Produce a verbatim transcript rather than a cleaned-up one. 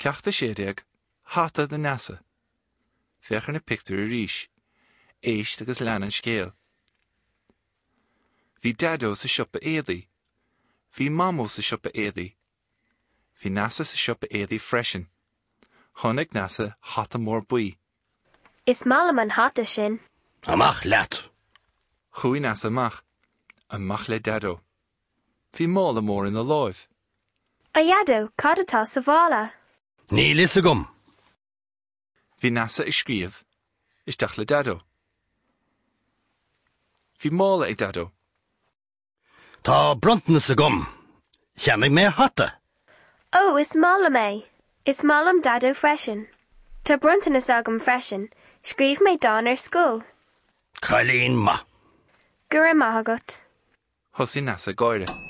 Ceacht a sé déag, Hata do Neasa. Féach ar na pictiúir arís. Éist agus lean an scéal. Bhí Daideo sa siopa éadaí. Bhí Mamó sa siopa éadaí. Bhí Neasa sa siopa éadaí freisin. Chonaic Neasa hata mór buí. Is maith liom an hata sin. Amach leat. Chuaigh Neasa amach. Amach le Daideo. Bhí mála mór ina láimh. A Dhaideo, cad atá sa mhála? Níl a fhios agam. Bhí Neasa ag scríobh. Isteach le Daideo. Bhí mála ag Daideo. Tá bronntanas agam. Cheannaigh mé hata. Ó, is maith liom é. Is maith liom Daideo freisin. Tá bronntanas agam freisin. Scríobh mé dán ar scoil. Cailín maith. Go raibh maith agat. Thosaigh Neasa ag gáire.